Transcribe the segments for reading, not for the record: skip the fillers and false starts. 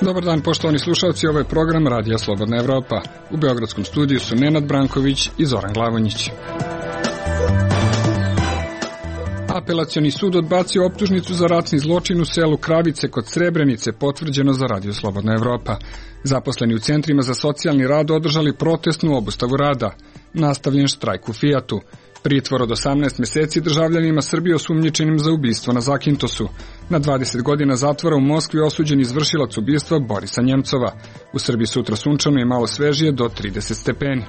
Dobar dan, poštovani slušalci, ovo je program Radija Slobodna Evropa. U beogradskom studiju su Nenad Branković i Zoran Glavonjić. Apelacioni sud odbacio optužnicu za ratni zločin u selu Kravice kod Srebrenice, potvrđeno za Radio Slobodna Evropa. Zaposleni u centrima za socijalni rad održali protestnu obustavu rada. Nastavljen štrajk u Fijatu. Pritvor od 18 meseci državljanima Srbije osumnjičenim za ubistvo na Zakintosu. Na 20 godina zatvora u Moskvi osuđen izvršilac ubistva Borisa Njemcova. U Srbiji sutra sunčano i malo svežije do 30 stepeni.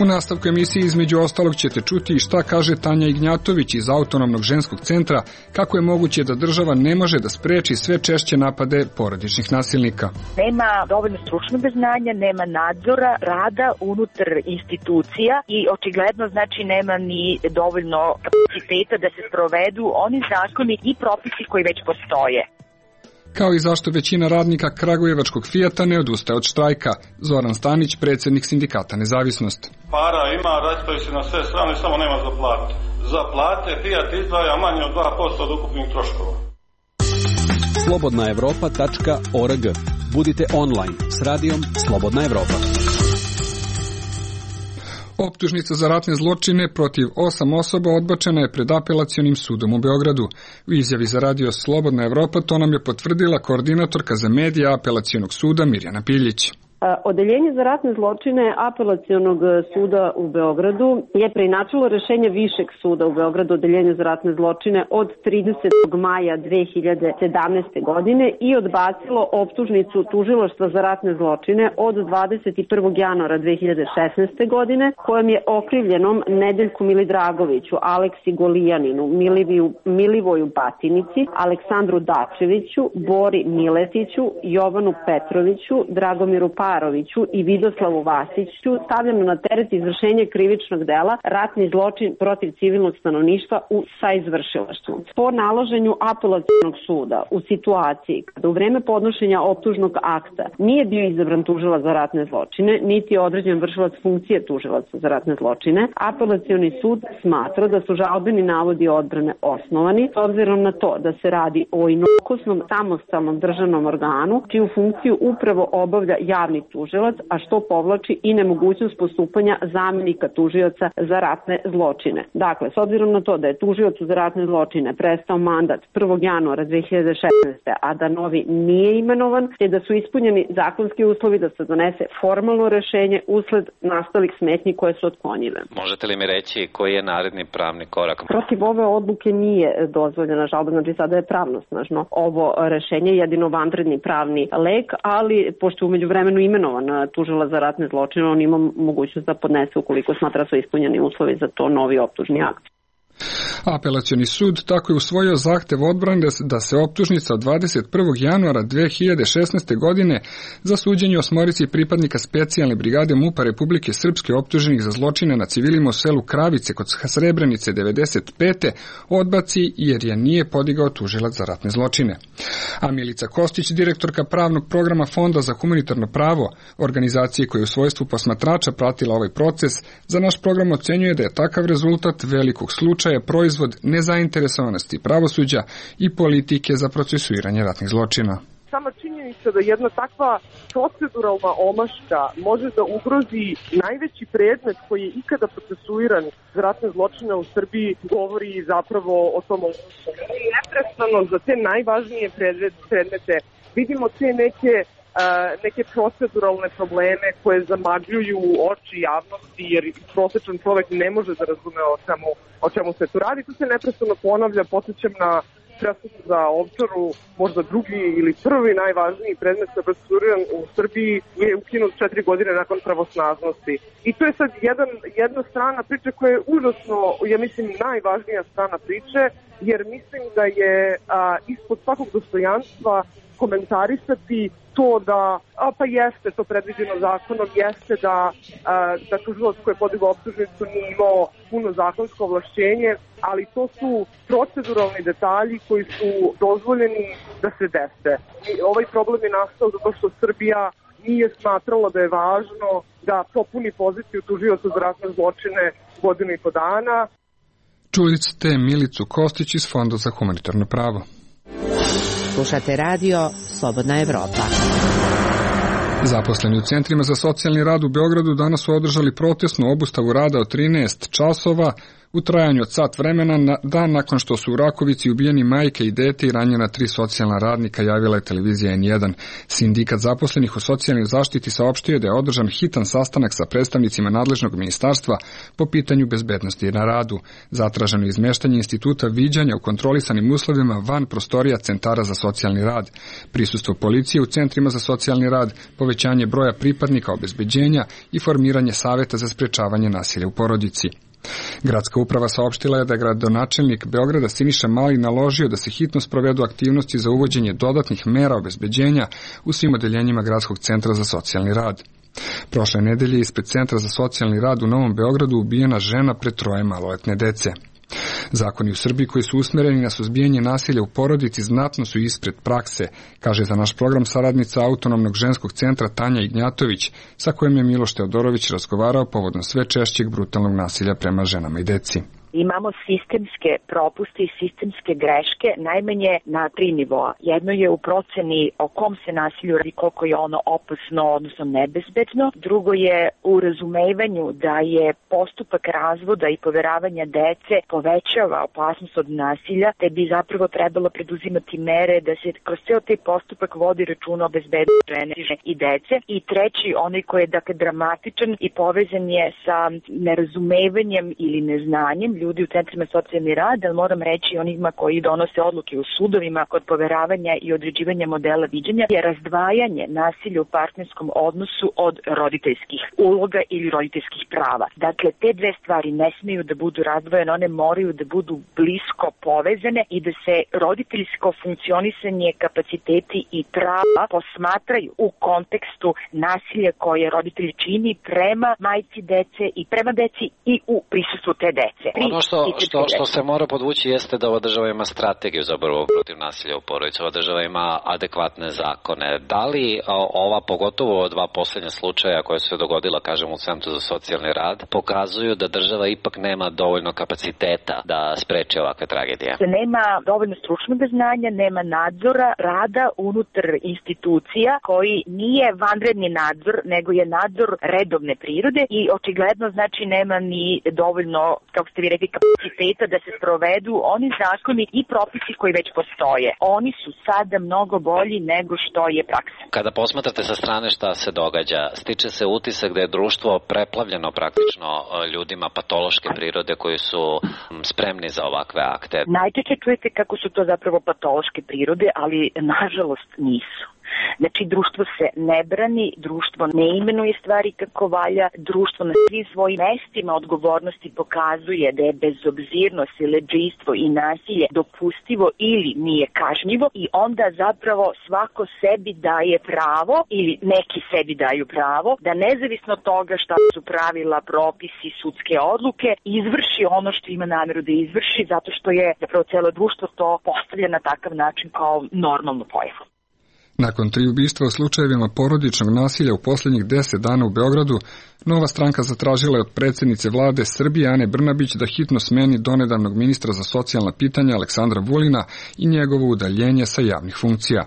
U nastavku emisije između ostalog ćete čuti i šta kaže Tanja Ignjatović iz Autonomnog ženskog centra, kako je moguće da država ne može da spreči sve češće napade porodičnih nasilnika. Nema dovoljno stručnog znanja, nema nadzora rada unutar institucija i očigledno znači nema ni dovoljno kapaciteta da se sprovedu oni zakoni i propisi koji već postoje. Kao i zašto većina radnika kragujevačkog Fijata ne odustaje od štrajka. Zoran Stanić, predsjednik sindikata Nezavisnost. Para ima, raspravi se na sve strane, samo nema za plate. Za plate Fijat izdvaja manje od 2% od ukupnih troškova. slobodnaevropa.org. Budite online s radijom Slobodna Evropa. Optužnica za ratne zločine protiv 8 osoba odbačena je pred apelacionim sudom u Beogradu. U izjavi za Radio Slobodna Evropa to nam je potvrdila koordinatorka za medije apelacionog suda Mirjana Piljić. Odeljenje za ratne zločine Apelacionog suda u Beogradu je preinačilo rešenje Višeg suda u Beogradu Odeljenje za ratne zločine od 30. maja 2017. godine i odbacilo optužnicu Tužilaštva za ratne zločine od 21. januara 2016. godine kojom je okrivljenom Nedeljku Milidragoviću, Aleksi Golijaninu, Milivoju Batinici, Aleksandru Dačeviću, Bori Miletiću, Jovanu Petroviću, Dragomiru Paroviću i Vidoslavu Vasiću stavljeno na teret izvršenje krivičnog dela ratni zločin protiv civilnog stanovništva u saizvršilaštvu. Po naloženju apelacionog suda u situaciji kada u vreme podnošenja optužnog akta nije bio izabran tužilac za ratne zločine, niti je određen vršilac funkcije tužilaca za ratne zločine, apelacioni sud smatra da su žalbeni navodi odbrane osnovani, s obzirom na to da se radi o inokosnom samostalnom državnom organu, čiju funkciju upravo obavlja javni tužilac, a što povlači i nemogućnost postupanja zamenika tužioca za ratne zločine. Dakle, s obzirom na to da je tužiocu za ratne zločine prestao mandat 1. januara 2016. a da novi nije imenovan, te da su ispunjeni zakonski uslovi da se donese formalno rešenje usled nastalih smetnji koje su otklonjive. Možete li mi reći koji je naredni pravni korak? Protiv ove odluke nije dozvoljena žalba, znači sada je pravnosnažno ovo rešenje, jedino vanredni pravni lek, ali pošto umeđu vremenu imenovan tužilac za ratne zločine, on ima mogućnost da podnese ukoliko smatra su ispunjeni uslovi za to novi optužni akt. Apelacioni sud tako je usvojio zahtev odbrane da se optužnica od 21. januara 2016. godine za suđenje osmorici pripadnika specijalne brigade MUP-a Republike Srpske optuženih za zločine na civilima u selu Kravice kod Srebrenice 95. odbaci jer je nije podigao tužilac za ratne zločine. A Milica Kostić, direktorka pravnog programa Fonda za humanitarno pravo, organizacije koja je u svojstvu posmatrača pratila ovaj proces, za naš program ocenjuje da je takav rezultat velikog slučaja proizvod nezainteresovanosti pravosuđa i politike za procesuiranje ratnih zločina. Sama činjenica da jedna takva proceduralna omaška može da ugrozi najveći predmet koji je ikada procesuiran za ratne zločine u Srbiji govori zapravo o tom. Neprestano za te najvažnije predmete vidimo te neke proceduralne probleme koje zamagljuju oči javnosti, jer prosječan čovek ne može da razume o čemu se tu radi. Tu se neprestano ponavlja, podsjećam na presudu za Ovčaru, možda drugi ili prvi najvažniji predmet koji je procesuriran u Srbiji je ukinut 4 godine nakon pravosnažnosti. I to je sad jedna strana priče koja je užasno, ja mislim, najvažnija strana priče, jer mislim da je ispod svakog dostojanstva komentarisati to da, pa jeste to predviđeno zakonom, jeste da tužilac koji je podigao optužnicu nije imao puno zakonsko ovlašćenje, ali to su proceduralni detalji koji su dozvoljeni da se dese. I ovaj problem je nastao zato što Srbija nije smatrala da je važno da popuni poziciju tužioca za ratne zločine 1,5 dana. Čuli ste Milicu Kostić iz Fonda za humanitarno pravo. Slušate radio Slobodna Evropa. Zaposleni u centrima za socijalni rad u Beogradu danas su održali protestnu obustavu rada od 13 časova u trajanju od sat vremena dan nakon što su u Rakovici ubijeni majke i dete i ranjena 3 socijalna radnika, javila je televizija N1. Sindikat zaposlenih u socijalnoj zaštiti saopštio da je održan hitan sastanak sa predstavnicima nadležnog ministarstva po pitanju bezbednosti na radu. Zatraženo je izmeštanje instituta viđanja u kontrolisanim uslovima van prostorija centara za socijalni rad, prisustvo policije u centrima za socijalni rad, povećanje broja pripadnika obezbeđenja i formiranje saveta za sprečavanje nasilja u porodici. Gradska uprava saopštila je da je gradonačelnik Beograda Siniša Mali naložio da se hitno sprovedu aktivnosti za uvođenje dodatnih mera obezbeđenja u svim odeljenjima Gradskog centra za socijalni rad. Prošle nedelje ispred Centra za socijalni rad u Novom Beogradu ubijena žena pred 3 maloletne dece. Zakoni u Srbiji koji su usmereni na suzbijanje nasilja u porodici znatno su ispred prakse, kaže za naš program saradnica Autonomnog ženskog centra Tanja Ignjatović, sa kojim je Miloš Teodorović razgovarao povodom sve češćeg brutalnog nasilja prema ženama i deci. Imamo sistemske propuste i sistemske greške najmanje na 3 nivoa. Jedno je u proceni o kom se nasilju radi, koliko je ono opasno, odnosno nebezbedno. Drugo je u razumevanju da je postupak razvoda i poveravanja dece povećava opasnost od nasilja, te bi zapravo trebalo preduzimati mere da se kroz ceo taj postupak vodi računa o bezbednosti žene i dece. I treći, onaj koji je dramatičan i povezan je sa nerazumevanjem ili neznanjem ljudi u centrima socijalni rad, ali moram reći onima koji donose odluke u sudovima kod poveravanja i određivanja modela viđenja, je razdvajanje nasilja u partnerskom odnosu od roditeljskih uloga ili roditeljskih prava. Dakle, te dve stvari ne smeju da budu razdvojene, one moraju da budu blisko povezane i da se roditeljsko funkcionisanje, kapaciteti i prava posmatraju u kontekstu nasilja koje roditelj čini prema majci dece i prema deci i u prisustvu te dece. Ono što se mora podvući jeste da ova država ima strategiju za borbu protiv nasilja u porodici, ova država ima adekvatne zakone. Da li ova, pogotovo 2 posljednja slučaja koja su se dogodila, kažem, u Centru za socijalni rad, pokazuju da država ipak nema dovoljno kapaciteta da spreči ovakve tragedije? Nema dovoljno stručnog znanja, nema nadzora rada unutar institucija koji nije vanredni nadzor, nego je nadzor redovne prirode i očigledno znači nema ni dovoljno, kako ste vi rekli, kapaciteta da se sprovedu oni zakoni i propisi koji već postoje. Oni su sada mnogo bolji nego što je praksa. Kada posmatrate sa strane šta se događa, stiče se utisak da je društvo preplavljeno praktično ljudima patološke prirode koji su spremni za ovakve akte. Najčešće čujete kako su to zapravo patološke prirode, ali nažalost nisu. Znači, društvo se ne brani, društvo ne imenuje stvari kako valja, društvo na svim svojim mestima odgovornosti pokazuje da je bezobzirno, siledžijstvo i nasilje dopustivo ili nije kažnjivo i onda zapravo svako sebi daje pravo ili neki sebi daju pravo da nezavisno od toga šta su pravila, propisi, sudske odluke, izvrši ono što ima nameru da izvrši zato što je zapravo celo društvo to postavlja na takav način kao normalnu pojavu. Nakon 3 ubistva u slučajevima porodičnog nasilja u posljednjih 10 dana u Beogradu, Nova stranka zatražila je od predsjednice vlade Srbije Ane Brnabić da hitno smeni donedavnog ministra za socijalna pitanja Aleksandra Vulina i njegovo udaljenje sa javnih funkcija.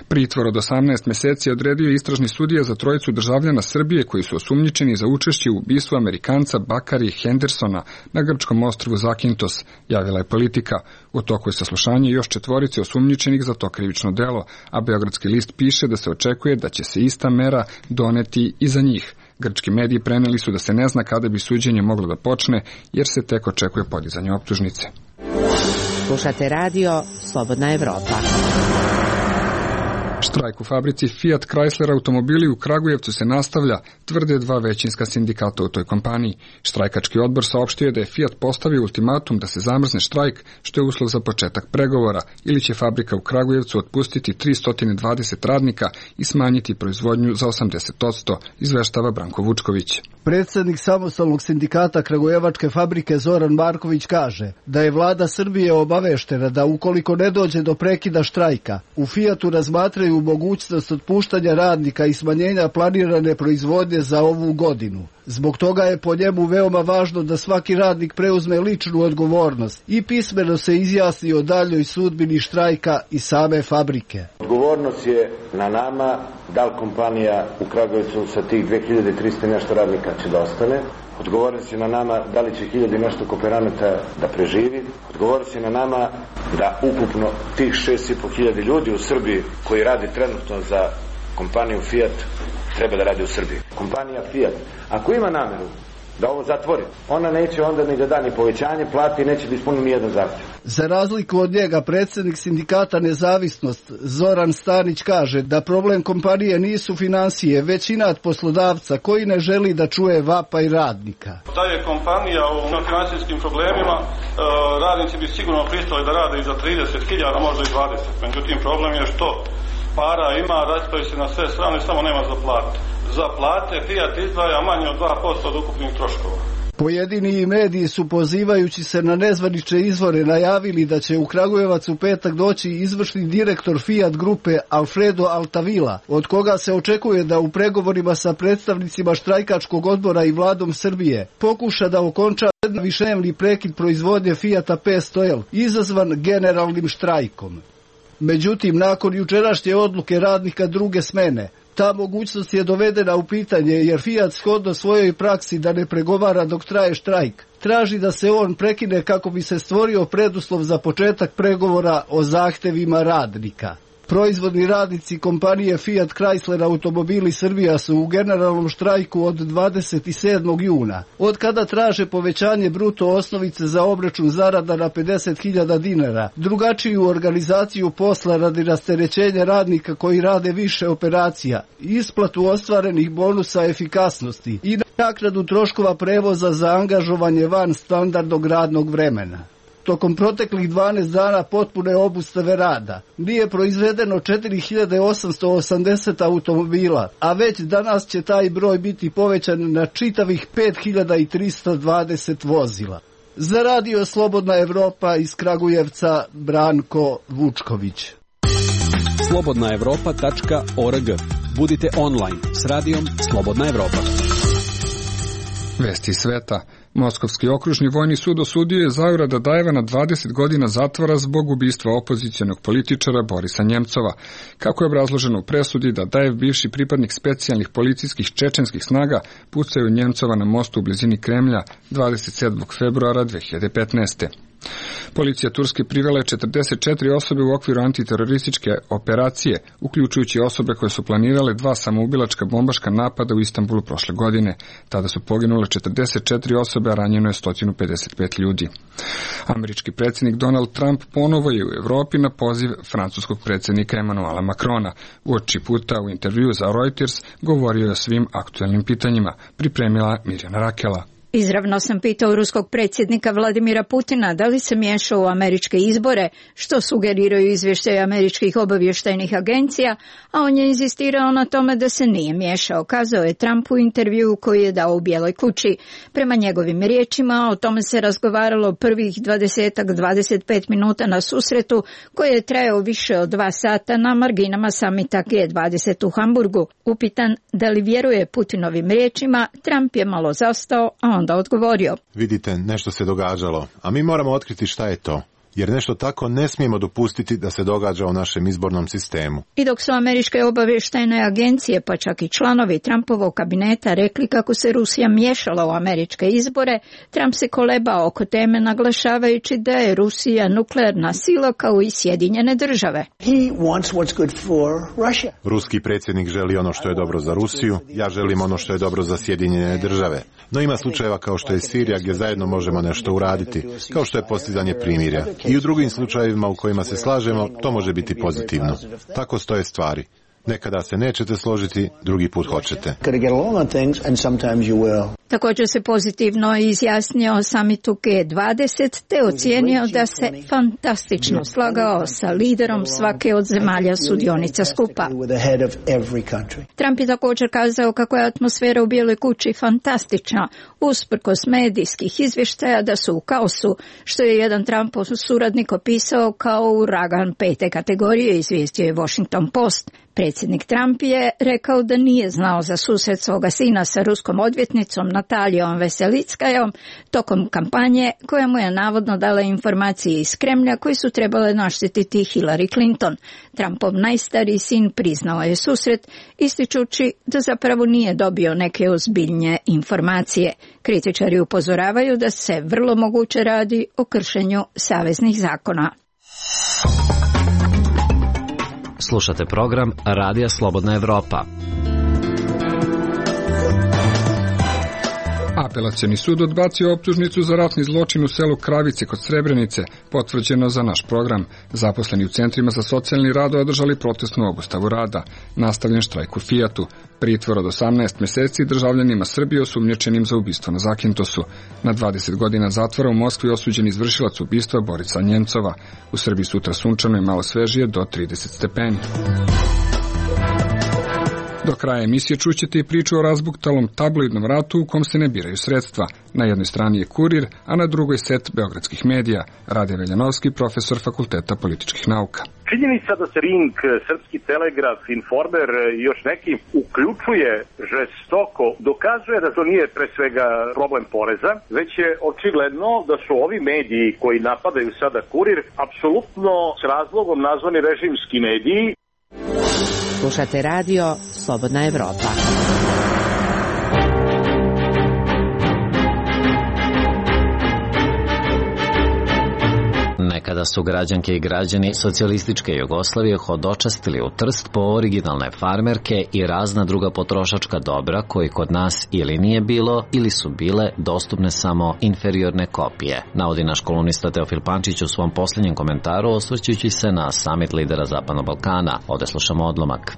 Pritvor od 18 meseci odredio istražni sudija za 3 državljana Srbije koji su osumnjičeni za učešće u ubistvu Amerikanca Bakari Hendersona na grčkom ostrvu Zakintos, javila je Politika. U toku je saslušanje još 4 osumnjičenih za to krivično delo, a Beogradski list piše da se očekuje da će se ista mera doneti i za njih. Grčki mediji preneli su da se ne zna kada bi suđenje moglo da počne, jer se tek očekuje podizanje optužnice. Slušate radio Slobodna Evropa. Štrajk u fabrici Fiat Chrysler automobili u Kragujevcu se nastavlja, tvrde 2 većinska sindikata u toj kompaniji. Štrajkački odbor saopštio da je Fiat postavio ultimatum da se zamrzne štrajk, što je uslov za početak pregovora, ili će fabrika u Kragujevcu otpustiti 320 radnika i smanjiti proizvodnju za 80%, izveštava Branko Vučković. Predsjednik samostalnog sindikata Kragujevačke fabrike Zoran Marković kaže da je vlada Srbije obaveštena da ukoliko ne dođe do prekida štrajka, u Fiatu razmatraju predstavljaju mogućnost otpuštanja radnika i smanjenja planirane proizvodnje za ovu godinu. Zbog toga je po njemu veoma važno da svaki radnik preuzme ličnu odgovornost i pismeno se izjasni o daljoj sudbini štrajka i same fabrike. Odgovornost je na nama da li kompanija u Kragujevcu sa tih 2300 nešto radnika će da ostane. Odgovornost je na nama da li će 1000 nešto kooperanata da preživi. Odgovornost je na nama da ukupno tih 6500 ljudi u Srbiji koji radi trenutno za kompaniju Fiat treba da radi u Srbiji. Kompanija Fiat, ako ima nameru da ovo zatvori, ona neće onda ni da da ni povećanje plati i neće da ispuni ni jedan zahtjev. Za razliku od njega, predsjednik sindikata Nezavisnost Zoran Stanić kaže da problem kompanije nisu finansije, već inat poslodavca koji ne želi da čuje vapaj radnika. Da je kompanija u finansijskim problemima, radnici bi sigurno pristali da rade i za 30.000, možda i 20. Međutim, problem je što para ima, raspravi se na sve strane, samo nema za plate. Za plate Fiat izdvaja manje od 2% od ukupnih troškova. Pojedini mediji su, pozivajući se na nezvanične izvore, najavili da će u Kragujevac u petak doći izvršni direktor Fiat grupe Alfredo Altavila, od koga se očekuje da u pregovorima sa predstavnicima štrajkačkog odbora i vladom Srbije pokuša da okonča višednevni prekid proizvodnje Fiata 500L, izazvan generalnim štrajkom. Međutim, nakon jučerašnje odluke radnika druge smene, ta mogućnost je dovedena u pitanje jer Fiat shodno svojoj praksi da ne pregovara dok traje štrajk, traži da se on prekine kako bi se stvorio preduslov za početak pregovora o zahtevima radnika. Proizvodni radnici kompanije Fiat Chrysler Automobili Srbija su u generalnom štrajku od 27. juna, od kada traže povećanje bruto osnovice za obračun zarada na 50.000 dinara, drugačiju organizaciju posla radi rasterećenja radnika koji rade više operacija, isplatu ostvarenih bonusa efikasnosti i naknadu troškova prevoza za angažovanje van standardnog radnog vremena. Tokom proteklih 12 dana potpune obustave rada nije proizvedeno 4880 automobila, a već danas će taj broj biti povećan na čitavih 5320 vozila. Za Radio Slobodna Evropa iz Kragujevca, Branko Vučković. slobodnaevropa.org. Budite online s radijom Slobodna Evropa. Vesti sveta. Moskovski okružni vojni sud osudio je Zaura Dadajeva na 20 godina zatvora zbog ubistva opozicionog političara Borisa Njemcova. Kako je obrazloženo u presudi, Dadajev, bivši pripadnik specijalnih policijskih čečenskih snaga, pucao je Njemcova na mostu u blizini Kremlja 27. februara 2015. Policija Turske privela je 44 osobe u okviru antiterorističke operacije, uključujući osobe koje su planirale 2 samoubilačka bombaška napada u Istanbulu prošle godine. Tada su poginule 44 osobe, a ranjeno je 155 ljudi. Američki predsjednik Donald Trump ponovo je u Evropi na poziv francuskog predsjednika Emmanuela Macrona. Uoči puta u intervju za Reuters govorio je o svim aktuelnim pitanjima, pripremila Mirjana Rakela. Izravno sam pitao ruskog predsjednika Vladimira Putina da li se miješao u američke izbore, što sugeriraju izvještaje američkih obavještajnih agencija, a on je inzistirao na tome da se nije miješao, kazao je Trump u intervjuu koji je dao u Bijeloj kući. Prema njegovim riječima, o tome se razgovaralo prvih 20-25 minuta na susretu, koji je trajao više od 2 sata na marginama samita G20 u Hamburgu. Upitan da li vjeruje Putinovim riječima, Trump je malo zastao, a onda odgovorio. Vidite, nešto se događalo, a mi moramo otkriti šta je to. Jer nešto tako ne smijemo dopustiti da se događa u našem izbornom sistemu. I dok su američke obavještajne agencije, pa čak i članovi Trumpovog kabineta rekli kako se Rusija miješala u američke izbore, Trump se kolebao oko teme naglašavajući da je Rusija nuklearna sila kao i Sjedinjene države. Ruski predsjednik želi ono što je dobro za Rusiju, ja želim ono što je dobro za Sjedinjene države. No ima slučajeva kao što je Sirija gdje zajedno možemo nešto uraditi, kao što je postizanje primirja. I u drugim slučajevima u kojima se slažemo, to može biti pozitivno. Tako stoje stvari. Nekada se nećete složiti, drugi put hoćete. Također se pozitivno izjasnio o samitu G20 te ocijenio da se fantastično slagao sa liderom svake od zemalja sudionica skupa. Trump je također kazao kako je atmosfera u Bijeloj kući fantastična, usprkos medijskih izvještaja da su u kaosu, što je jedan Trumpov suradnik opisao kao uragan 5. kategorije, izvijestio je Washington Post. Predsjednik Trump je rekao da nije znao za susret svoga sina sa ruskom odvjetnicom Natalijom Veselickajom tokom kampanje, koja mu je navodno dala informacije iz Kremlja koji su trebale naštititi Hillary Clinton. Trumpov najstariji sin priznao je susret, ističući da zapravo nije dobio neke ozbiljnije informacije. Kritičari upozoravaju da se vrlo moguće radi o kršenju saveznih zakona. Slušate program Radija Slobodna Evropa. Apelacioni sud odbacio optužnicu za ratni zločin u selu Kravice kod Srebrenice, potvrđeno za naš program. Zaposleni u centrima za socijalni rad održali protestnu obustavu rada. Nastavljen štrajk u Fijatu. Pritvor od 18 mjeseci državljanima Srbije osumnjičenim za ubistvo na Zakintosu. Na 20 godina zatvora u Moskvi osuđen izvršilac ubistva Borisa Njemcova. U Srbiji sutra sunčano i malo svežije do 30 stepeni. Do kraja emisije čućete i priču o razbuktalom tabloidnom ratu u kom se ne biraju sredstva. Na jednoj strani je Kurir, a na drugoj set beogradskih medija. Rade Veljanovski, profesor Fakulteta političkih nauka. Činjenica da se Ring, Srpski telegraf, Informer i još neki uključuje žestoko dokazuje da to nije pre svega problem poreza, već je očigledno da su ovi mediji koji napadaju sada Kurir apsolutno s razlogom nazvani režimski mediji. Slušate radio Slobodna Evropa. Nekada su građanke i građani socijalističke Jugoslavije hodočastili u Trst po originalne farmerke i razna druga potrošačka dobra koji kod nas ili nije bilo ili su bile dostupne samo inferiorne kopije, navodi naš kolumnista Teofil Pančić u svom posljednjem komentaru osvrćujući se na samit lidera Zapadnog Balkana. Ovdje slušamo odlomak.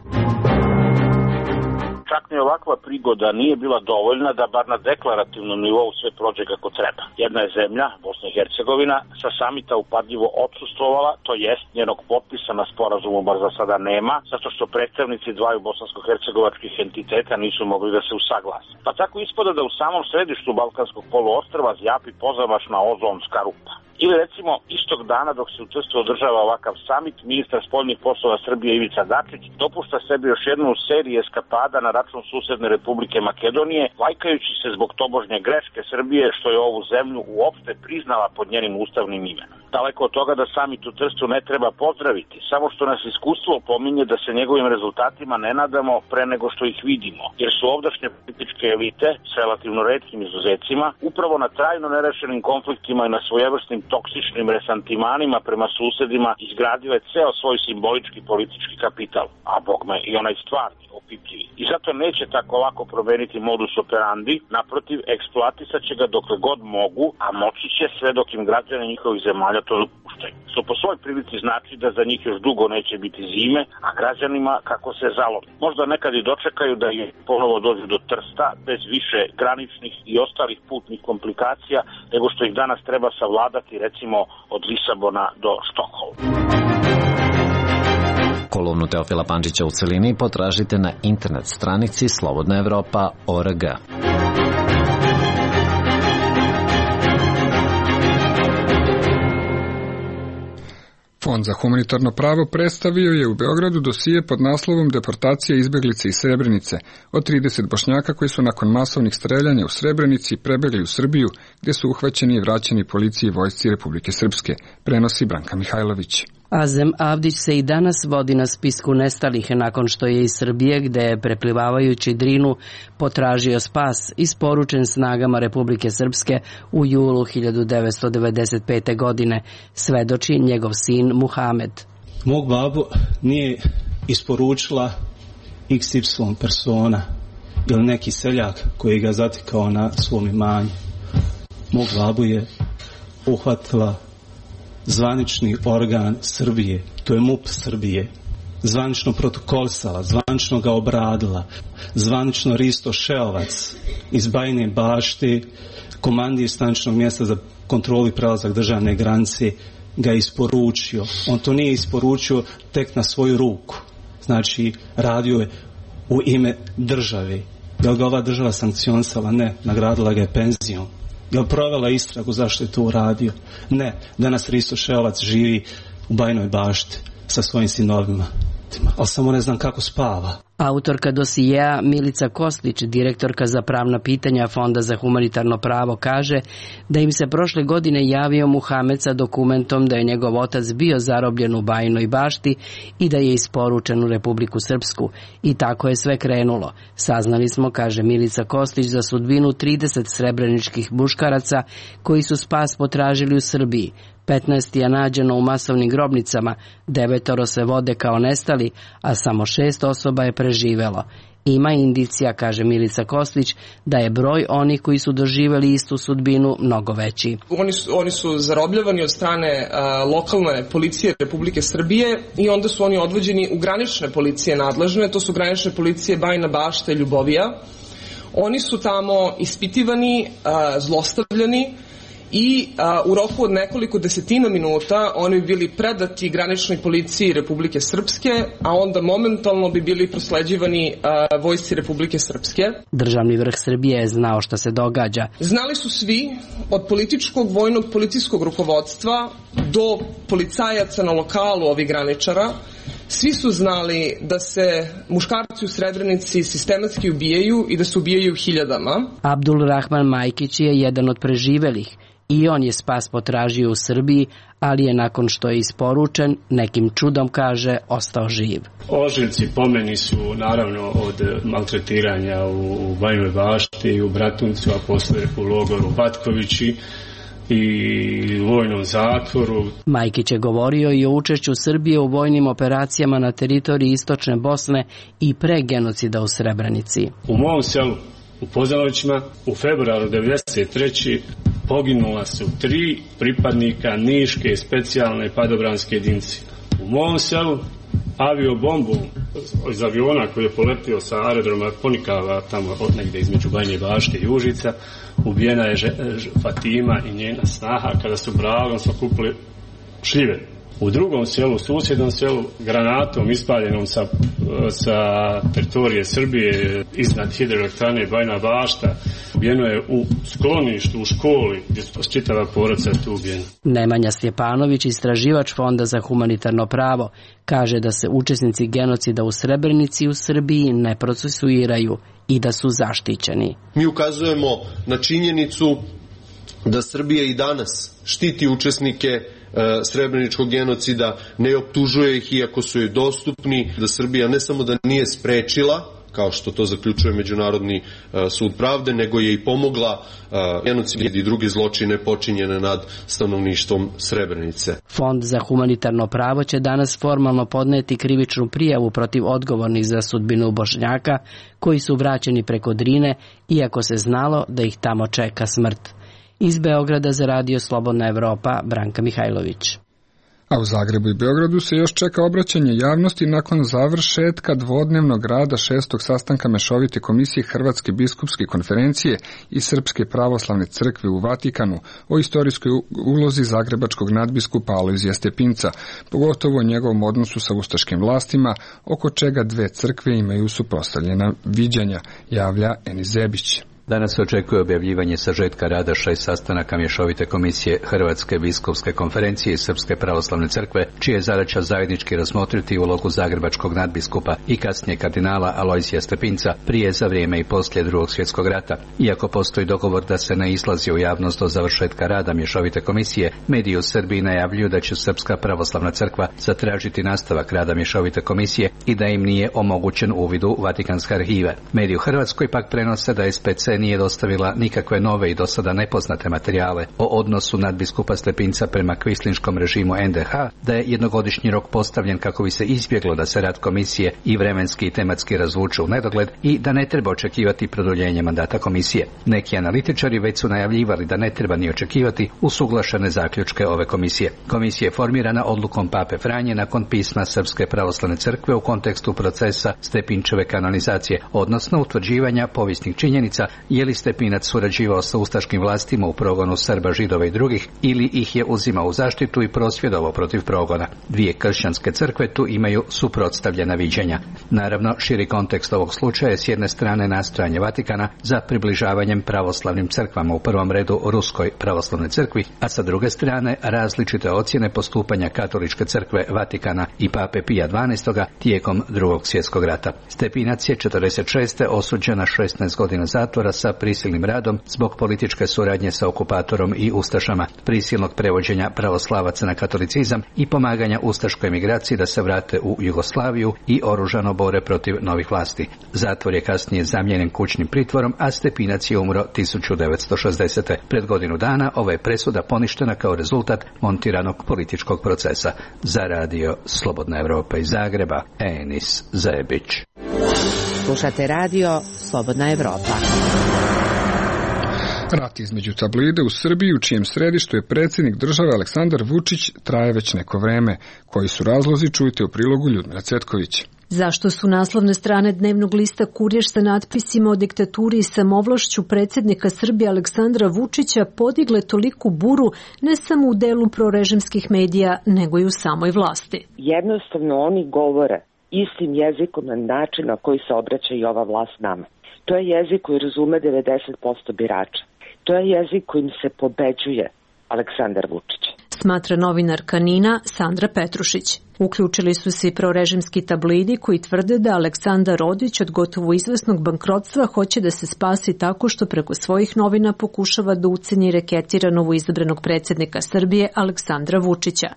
Čak ni ovakva prigoda nije bila dovoljna da bar na deklarativnom nivou sve prođe kako treba. Jedna je zemlja, Bosna i Hercegovina, sa samita upadljivo odsustvovala, to jest njenog potpisa na sporazumu bar za sada nema, zato što predstavnici dvaju bosansko-hercegovačkih entiteta nisu mogli da se usaglase. Pa tako ispada da u samom središtu Balkanskog poluostrva zjapi pozamašna ozonska rupa. Ili recimo istog dana dok se u Trstu održava ovakav samit, ministar spoljnih poslova Srbije Ivica Dačić dopušta sebi još jednu seriju eskapada na račun susedne Republike Makedonije, lajkajući se zbog tobožnje greške Srbije što je ovu zemlju uopšte priznala pod njenim ustavnim imenom. Daleko od toga da samit u Trstu ne treba pozdraviti, samo što nas iskustvo pominje da se njegovim rezultatima ne nadamo pre nego što ih vidimo, jer su ovdašnje političke elite s relativno retkim izuzecima upravo na trajno nerešenim konfliktima i na svojevrsnim toksičnim resantimanima prema susedima izgradile ceo svoj simbolički politički kapital, a bogme i onaj stvarni, opipljivi. I zato neće tako lako promeniti modus operandi, naprotiv, eksploatisat će ga dokle god mogu, a moći će sve dok im građani njihovih zemalja to dopuštaju. Što po svoj prilici znači da za njih još dugo neće biti zime, a građanima kako se zalomi. Možda nekad i dočekaju da je ponovo dođu do Trsta bez više graničnih i ostalih putnih komplikacija nego što ih danas treba savladati recimo od Lisabona do Štokholma. Kolumnu Teofila Pančića u celini potražite na internet stranici slobodnaevropa.org. Fond za humanitarno pravo predstavio je u Beogradu dosije pod naslovom Deportacija izbeglice iz Srebrenice od 30 Bošnjaka koji su nakon masovnih streljanja u Srebrenici prebegli u Srbiju, gdje su uhvaćeni i vraćeni policiji i vojsci Republike Srpske, prenosi Branka Mihajlović. Azem Avdić se i danas vodi na spisku nestalih nakon što je iz Srbije, gde je preplivavajući Drinu potražio spas, isporučen snagama Republike Srpske u julu 1995. godine, svedoči njegov sin Muhamed. Mog babu nije isporučila XY persona ili neki seljak koji ga zatikao na svom imanju. Mog babu je uhvatila zvanični organ Srbije, to je MUP Srbije, zvanično protokolsala, zvanično ga obradila, zvanično Risto Šeovac iz Bajine Bašti, komandir staničnog mjesta za kontrolu i prelazak državne granice, ga isporučio. On to nije isporučio tek na svoju ruku. Znači, radio je u ime države. Je li ga ova država sankcionisala? Ne. Nagradila ga je penzijom. Je li provela istragu zašto je to uradio? Ne. Danas Risto Šeovac živi u Bajinoj Bašti sa svojim sinovima. Ali samo ne znam kako spava. Autorka dosijeja Milica Kostić, direktorka za pravna pitanja Fonda za humanitarno pravo, kaže da im se prošle godine javio Muhamed sa dokumentom da je njegov otac bio zarobljen u Bajinoj Bašti i da je isporučen u Republiku Srpsku. I tako je sve krenulo. Saznali smo, kaže Milica Kostić, za sudbinu 30 srebreničkih muškaraca koji su spas potražili u Srbiji. 15 je nađeno u masovnim grobnicama, 9 se vode kao nestali, a samo 6 osoba je preživelo. Ima indicija, kaže Milica Kostić, da je broj onih koji su doživjeli istu sudbinu mnogo veći. Oni su zarobljavani od strane lokalne policije Republike Srbije i onda su oni odvođeni u granične policije nadležne, to su granične policije Bajina Bašta i Ljubovija. Oni su tamo ispitivani, zlostavljani, i u roku od nekoliko desetina minuta oni bi bili predati graničnoj policiji Republike Srpske, a onda momentalno bi bili prosleđivani vojsci Republike Srpske. Državni vrh Srbije je znao šta se događa. Znali su svi, od političkog, vojnog, policijskog rukovodstva do policajaca na lokalu ovih graničara. Svi su znali da se muškarci u Srebrenici sistematski ubijaju i da se ubijaju hiljadama. Abdul Rahman Majkić je jedan od preživelih. I on je spas potražio u Srbiji, ali je nakon što je isporučen, nekim čudom, kaže, ostao živ. Ožiljci po meni su naravno od maltretiranja u Bajinoj Bašti i u Bratuncu, a posle u logoru Batkovići i vojnom zatvoru. Majkić je govorio i o učešću Srbije u vojnim operacijama na teritoriji istočne Bosne i pre genocida u Srebrenici. U mom selu, u Pozanovićima, u februaru 1993. poginula su 3 pripadnika Niške specijalne padobranske jedinice. U mom selu aviobombu iz aviona koji je poletio sa aerodroma Ponikava, tamo negdje između Bajine Bašte i Užica, ubijena je Fatima i njena snaha kada su bragom sakupili šljive. U drugom selu, susjednom selu, granatom ispaljenom sa teritorije Srbije iznad hidroelektrane Bajina Bašta, ubijeno je u skloništu, u školi, gdje su čitava porodica tu ubijena. Nemanja Stjepanović, istraživač Fonda za humanitarno pravo, kaže da se učesnici genocida u Srebrenici u Srbiji ne procesuiraju i da su zaštićeni. Mi ukazujemo na činjenicu da Srbija i danas štiti učesnike srebreničkog genocida, ne optužuje ih iako su joj dostupni, da Srbija ne samo da nije sprečila, kao što to zaključuje Međunarodni sud pravde, nego je i pomogla genocid i druge zločine počinjene nad stanovništvom Srebrenice. Fond za humanitarno pravo će danas formalno podneti krivičnu prijavu protiv odgovornih za sudbinu Bošnjaka koji su vraćeni preko Drine, iako se znalo da ih tamo čeka smrt. Iz Beograda za Radio Slobodna Evropa, Branka Mihajlović. A u Zagrebu i Beogradu se još čeka obraćanje javnosti nakon završetka dvodnevnog rada 6. sastanka Mešovite komisije Hrvatske biskupske konferencije i Srpske pravoslavne crkve u Vatikanu o istorijskoj ulozi zagrebačkog nadbiskupa Alojzija Stepinca, pogotovo o njegovom odnosu sa ustaškim vlastima, oko čega dve crkve imaju suprotstavljena viđanja, javlja Eni Zebić. Danas se očekuje objavljivanje sažetka rada 6 sastanaka Mješovite komisije Hrvatske biskupske konferencije i Srpske pravoslavne crkve, čija je zadaća zajednički razmotriti ulogu zagrebačkog nadbiskupa i kasnije kardinala Alojzija Stepinca prije, za vrijeme i poslije Drugog svjetskog rata. Iako postoji dogovor da se ne izlazi u javnost do završetka rada Mješovite komisije, mediji u Srbiji najavljuju da će Srpska pravoslavna crkva zatražiti nastavak rada Mješovite komisije i da im nije omogućen uvid u Vatikanske arhive. Mediji u Hrvatskoj pak prenose da SPC Dakle, nije dostavila nikakve nove i do sada nepoznate materijale o odnosu nadbiskupa Stepinca prema kvislinškom režimu NDH, da je jednogodišnji rok postavljen kako bi se izbjeglo da se rad komisije i vremenski i tematski razvuče u nedogled i da ne treba očekivati produljenje mandata komisije. Neki analitičari već su najavljivali da ne treba ni očekivati usuglašene zaključke ove komisije. Komisija je formirana odlukom Pape Franje nakon pisma Srpske pravoslavne crkve u kontekstu procesa Stepinčeve kanonizacije, odnosno utvrđivanja povijesnih činjenica je li Stepinac surađivao sa ustaškim vlastima u progonu Srba, Židova i drugih ili ih je uzimao u zaštitu i prosvjedovao protiv progona. Dvije kršćanske crkve tu imaju suprotstavljena viđenja. Naravno, širi kontekst ovog slučaja je s jedne strane nastojanje Vatikana za približavanjem pravoslavnim crkvama, u prvom redu Ruskoj pravoslavnoj crkvi, a sa druge strane različite ocjene postupanja Katoličke crkve, Vatikana i Pape Pija XII tijekom Drugog svjetskog rata. Stepinac je 46. osuđen na 16 godina zatvora sa prisilnim radom zbog političke suradnje sa okupatorom i ustašama, prisilnog prevođenja pravoslavaca na katolicizam i pomaganja ustaškoj emigraciji da se vrate u Jugoslaviju i oružano bore protiv novih vlasti. Zatvor je kasnije zamijenjen kućnim pritvorom, a Stepinac je umro 1960. Pred godinu dana ova je presuda poništena kao rezultat montiranog političkog procesa. Za radio Slobodna Evropa iz Zagreba, Enis Zebić. Slušate radio Slobodna Evropa. Rat između tabloida u Srbiji, u čijem središtu je predsjednik države Aleksandar Vučić, traje već neko vreme. Koji su razlozi, čujte u prilogu Ljudmila Cvetković. Zašto su naslovne strane dnevnog lista Kurir sa natpisima o diktaturi i samovlašću predsjednika Srbije Aleksandra Vučića podigle toliku buru ne samo u delu prorežimskih medija, nego i u samoj vlasti? Jednostavno oni govore istim jezikom na način na koji se obraća i ova vlast nama. To je jezik koji razume 90% birača. To je jezik kojim se pobeđuje Aleksandar Vučić. Smatra novinarka NIN-a Sandra Petrušić. Uključili su se i prorežimski tabloidi koji tvrde da Aleksandar Rodić od gotovo izvesnog bankrotstva hoće da se spasi tako što preko svojih novina pokušava da uceni i reketira novoizabranog predsjednika Srbije Aleksandra Vučića.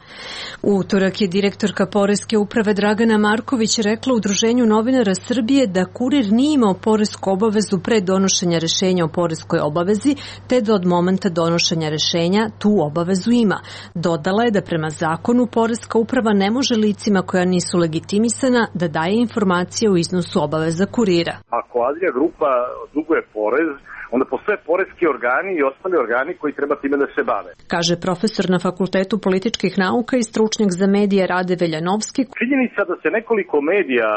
U utorak je direktorka Poreske uprave Dragana Marković rekla Udruženju novinara Srbije da Kurir nije imao poresku obavezu pre donošenja rešenja o poreskoj obavezi, te da od momenta donošenja rešenja tu obavezu ima. Dodala je da prema zakonu Poreska uprava ne može licima koja nisu legitimisana da daje informacije o iznosu obaveza Kurira. Ako Adria grupa duguje porez, onda postoje poreski organi i ostali organi koji treba time da se bave. Kaže profesor na Fakultetu političkih nauka i stručnjak za medije Rade Veljanovski. Činjenica da se nekoliko medija,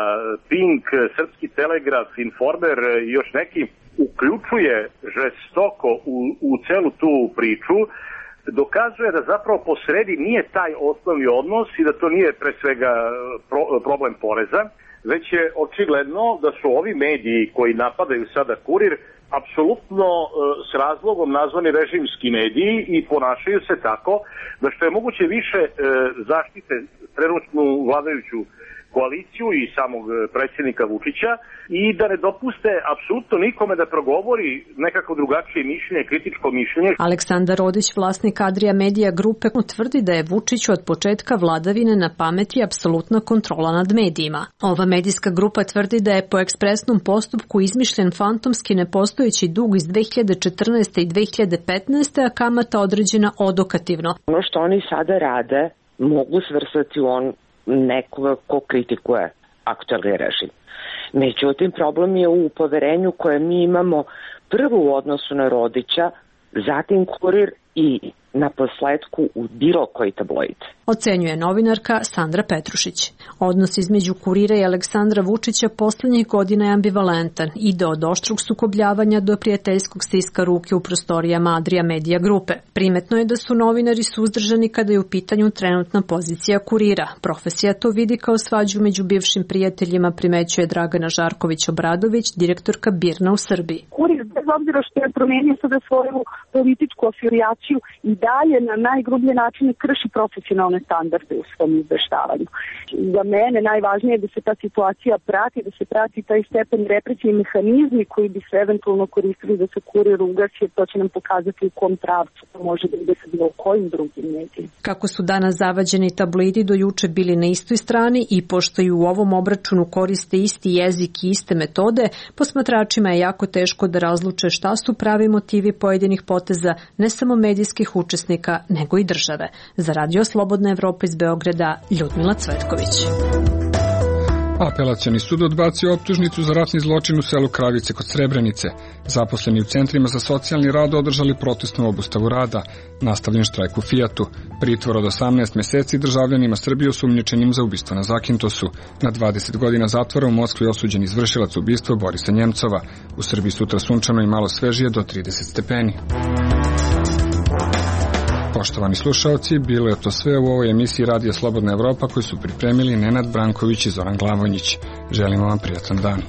Pink, Srpski telegraf, Informer i još neki, uključuje žestoko u celu tu priču, dokazuje da zapravo posredi nije taj osnovni odnos i da to nije pre svega problem poreza, već je očigledno da su ovi mediji koji napadaju sada Kurir apsolutno s razlogom nazvani režimski mediji i ponašaju se tako da što je moguće više zaštite trenutnu vladajuću koaliciju i samog predsjednika Vučića i da ne dopuste apsolutno nikome da progovori nekako drugačije mišljenje, kritičko mišljenje. Aleksandar Rodić, vlasnik Adria Media Grupe, tvrdi da je Vučiću od početka vladavine na pameti apsolutna kontrola nad medijima. Ova medijska grupa tvrdi da je po ekspresnom postupku izmišljen fantomski nepostojeći dug iz 2014. i 2015. a kamata određena odokativno. Ono što oni sada rade mogu svrstati u nekoga ko kritikuje aktualni režim. Međutim, problem je u poverenju koje mi imamo prvo u odnosu na Rodića, zatim Kurir i na posledku u bilo koji tabloid. Ocenjuje novinarka Sandra Petrušić. Odnos između Kurira i Aleksandra Vučića poslednjih godina je ambivalentan, ide od oštrog sukobljavanja do prijateljskog stiska ruke u prostorijama Adria Media Grupe. Primetno je da su novinari suzdržani kada je u pitanju trenutna pozicija Kurira. Profesija to vidi kao svađu među bivšim prijateljima, primećuje Dragana Žarković-Obradović, direktorka BIRN-a u Srbiji. Kurir, bez obzira što je promenio sada svoju političku afilijaciju, i dalje na najgrublje načine krši profesionalne standarde u svom izveštavanju. Za mene najvažnije je da se ta situacija prati, da se prati taj stepen represije i mehanizmi koji bi se eventualno koristili da se Kurir ugasi, to će nam pokazati u kom pravcu to može da ide sa bilo kojim drugim medijima. Kako su danas zavađeni tabloidi do juče bili na istoj strani i pošto i u ovom obračunu koriste isti jezik i iste metode, posmatračima je jako teško da razluče odluče šta su pravi motivi pojedinih poteza ne samo medijskih učesnika, nego i države. Za Radio Slobodna Evropa iz Beograda, Ljudmila Cvetković. Apelacioni sud odbacio optužnicu za ratni zločin u selu Kravice kod Srebrenice. Zaposleni u centrima za socijalni rad održali protestnu obustavu rada. Nastavljen štrajk u Fijatu. Pritvor od 18 meseci državljanima Srbije osumnjičenim za ubistvo na Zakintosu. Na 20 godina zatvora u Moskvi osuđen izvršilac ubistva Borisa Njemcova. U Srbiji sutra sunčano i malo svežije do 30 stepeni. Poštovani slušalci, bilo je to sve u ovoj emisiji Radija Slobodna Evropa koju su pripremili Nenad Branković i Zoran Glavonjić. Želimo vam prijatan dan.